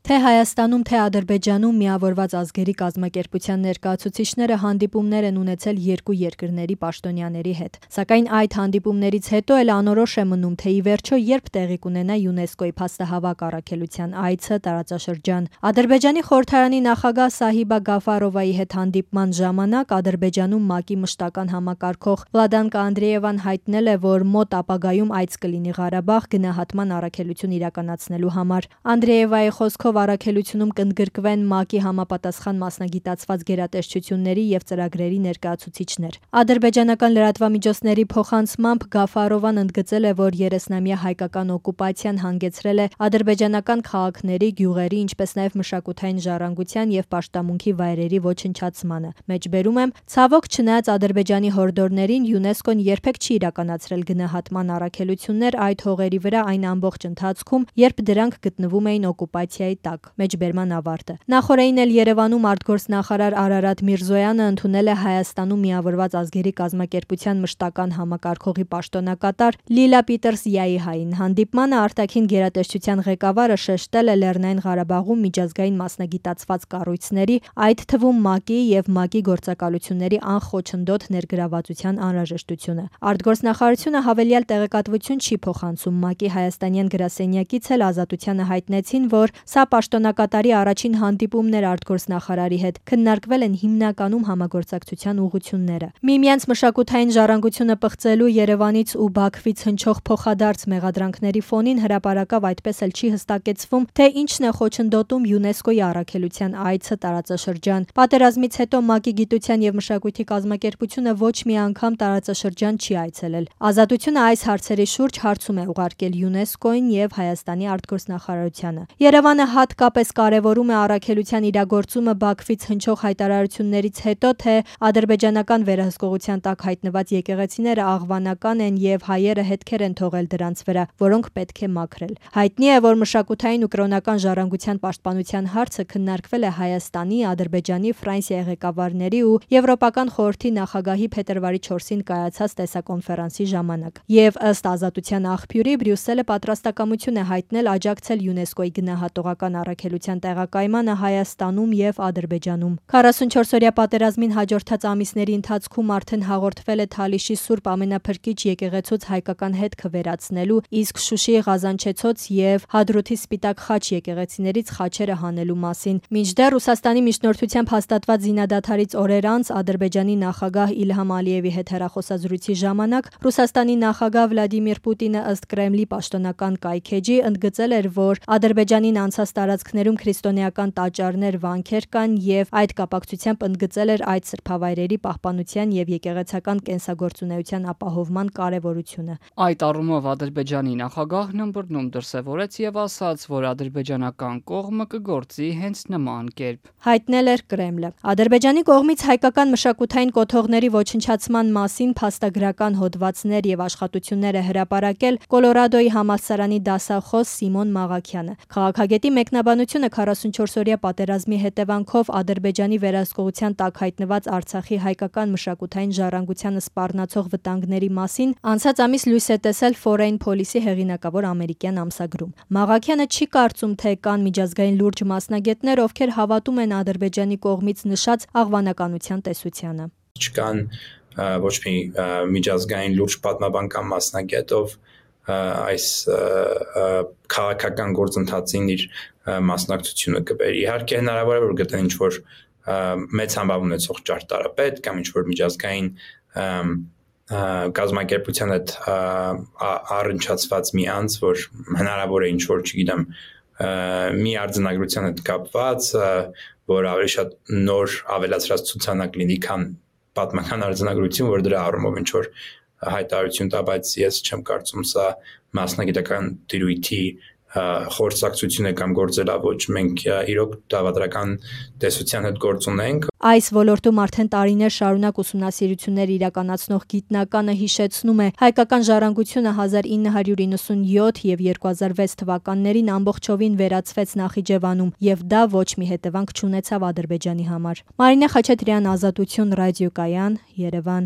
Թե Հայաստանում, թե Ադրբեջանում միավորված ազգերի կազմակերպության ներկայացուցիչները հանդիպումներ են ունեցել երկու երկրների պաշտոնյաների հետ։ Սակայն այդ հանդիպումներից հետո էլ անորոշ է մնում, թե ի վերջո երբ տեղի կունենա ՅՈՒՆԵՍԿՕ-ի փաստահավաք առաքելության այցը տարածաշրջան։ Ադրբեջանի խորհրդարանի նախագահ Սահիբա Գաֆարովայի հետ հանդիպման ժամանակ Ադրբեջանում ՄԱԿ-ի մշտական համակարգող Վլադանկա Անդրեևան հայտնել է, որ մոտ ապագայում այց կլինի Ղարաբաղ գնահատման առաքելություն իրականացնելու համար։ Անդրեևայի խոսքով առաքելությունում կընդգրկվեն ՄԱԿ-ի համապատասխան մասնագիտացված գերատեսչությունների և ծրագրերի ներկայացուցիչներ։ Ադրբեջանական լրատվամիջոցների փոխանցմամբ Գաֆարովան ընդգծել է, որ 30-ամյա հայկական օկուպացիան հանգեցրել է ադրբեջանական քաղաքների, գյուղերի, ինչպես նաև մշակութային ժառանգության և պաշտամունքի վայրերի ոչնչացմանը։ Մեջբերում եմ, ցավոք չնայած Ադրբեջանի հորդորներին ՅՈՒՆԵՍԿՕ-ն երբեք չի իրականացրել գնահատման առաքելություններ այդ հողերի վրա այն ամբողջ ընթացքում, երբ դրանք գտնվում էին օկուպացիայի տակ։ Մեջբերման ավարտը։ Նախորդին էլ Երևանում արտգործնախարար Արարատ Միրզոյանը ընդունել է Հայաստանում միավորված ազգերի կազմակերպության մշտական համակարգողի պաշտոնակատար Լիլա Պիտերսյայհային։ Հանդիպմանը արտաքին գերատեսչության ղեկավարը շեշտել է Լեռնային Ղարաբաղում միջազգային մասնագիտացված կառույցների, այդ թվում ՄԱԿ-ի և ՄԱԿ-ի գործակալությունների անխոչնդոտ ներգրավվածության անհրաժեշտությունը։ Արտգործնախարարությունը հավելյալ տեղեկատվություն չի փոխանցում։ ՄԱԿ-ի հայաստանյան գրասենյակից էլ Ազատությանը հայտնեցին, որ սա պաշտոնակատարի առաջին հանդիպումն էր արտգործնախարարի հետ, քննարկվել են հիմնականում համագործակցության ուղղությունները։ Միմյանց մշակութային ժառանգությունը պղծելու Երևանից ու Բաքվից հնչող փոխադարձ մեղադրանքների ֆոնին հրապարակավ այդպես էլ չի հստակեցվում, թե ինչն է խոչընդոտում ՅՈՒՆԵՍԿՕ-ի առաքելության այցը տարածաշրջան։ Պատերազմից հետո ՄԱԿ-ի գիտության և մշակույթի կազմակերպությունը ոչ մի անգամ տարածաշրջան չի այցելել։ Ազատությունը այս հարցերի շուրջ հարցում է ուղարկել ՅՈՒՆԵՍԿՕ-ին և Հայաստանի արտգործնախարարությանը։ Երևանը հատկապես կարևորում է առաքելության իրագործումը Բաքվից հնչող հայտարարություններից հետո, թե ադրբեջանական վերահսկողության տակ հայտնված եկեղեցիները աղվանական են և հայերը հետքեր են թողել դրանց վրա, որոնք պետք է մաքրել։ Հայտնի է, որ մշակութային ու կրոնական ժառանգության պաշտպանության հարցը քննարկվել է Հայաստանի, Ադրբեջանի, Ֆրանսիայի ղեկավարների ու Եվրոպական խորհրդի նախագահի փետրվարի 4-ին կայացած տեսակոնֆերանսի ժամանակ։ Եվ ըստ Ազատության աղբյուրի, Բրյուսելը պատրաստակամություն է հայտնել աջակցել ՅՈՒՆԵՍԿՕ-ի գնահատողական առաքելության տեղակայմանը Հայաստանում և Ադրբեջանում։ 44-օրյա պատերազմին հաջորդած ամիսների ընթացքում արդեն հաղորդվել է Թալիշի Սուրբ Ամենափրկիչ եկեղեցուց հայկական հետքը վերացնելու, իսկ Շուշիի Ղազանչեցոց և Հադրութի Սպիտակ Խաչ եկեղեցիներից խաչերը հանելու մասին։ Մինչդեռ Ռուսաստանի միջնորդությամբ հաստատված զինադադարից օրեր անց Ադրբեջանի նախագահ Իլհամ Ալիևի հետ հեռախոսազրույցի ժամանակ Ռուսաստանի նախագահ Վլադիմիր Պուտինը ըստ Կրեմլի պաշտոնական կայքէջի ընդգծել էր, որ Ադրբեջանին անցած տարածքներում քրիստոնեական տաճարներ, վանքեր կան և այդ կապակցությամբ ընդգծել էր այդ սրբավայրերի պահպանության և եկեղեցական կենսագործունեության ապահովման կարևորությունը։ Այդ առումով Ադրբեջանի նախագահն ըմբռնում դրսևորեց և ասաց, որ ադրբեջանական կողմը կգործի հենց նման կերպ։ Հայտնել էր Կրեմլը։ Ադրբեջանի կողմից հայկական մշակութային կոթողների ոչնչացման մասին փաստագրական հոդվածներ և աշխատություններ է հրապարակել Կոլորադոյի համալսարանի դասախոս Սիմոն Մաղաքյանը։ Քաղաքագետի մեկնաբանությունը 44-օրյա պատերազմի հետևանքով Ադրբեջանի վերահսկողության տակ հայտնված Արցախի հայկական մշակութային ժառանգությանը սպառնացող վտանգների մասին անցած ամիս լույս է տեսել Foreign Policy հեղինակավոր ամերիկյան ամսագրում։ Մաղաքյանը չի կարծում, թե կան միջազգային լուրջ մասնագետներ, ովքեր հավատում են Ադրբեջանի կողմից նշած աղվանականության տեսությանը։ Չկան ոչ մի միջազգային լուրջ պատմաբանական մասնագետ, ով այս քաղաքական գործընթացին իր մասնակցությունը կբերի։ Իհարկե հնարավոր է, որ գտնեն ինչ-որ մեծ համբավ ունեցող ճարտարապետ կամ ինչ-որ միջազգային կազմակերպության հետ առնչացված մի անձ, որ հնարավոր է ինչ-որ, չգիտեմ, մի արձանագրության հետ կապված, որ ավելի շատ նոր ավելացրած ցուցանակ լինի, քան պատմական արձանագրություն, որ դրա առումով ինչ-որ հայտարարություն տա, բայց ես չեմ կարծում սա մասնագիտական տիրույթի խորհրդակցություն է կամ գործելավոճ։ Մենք իրոք դավադրական տեսության հետ գործ ունենք։ Այս ոլորտում արդեն տարիներ շարունակ ուսումնասիրություններ իրականացնող գիտնականը հիշեցնում է, հայկական ժառանգությունը 1997 և 2006 թվականներին ամբողջովին վերացվեց Նախիջևանում, և դա ոչ մի հետևանք չունեցավ Ադրբեջանի համար։ Մարինե Խաչատրյան, Ազատություն, ռադիոկայան, Երևան։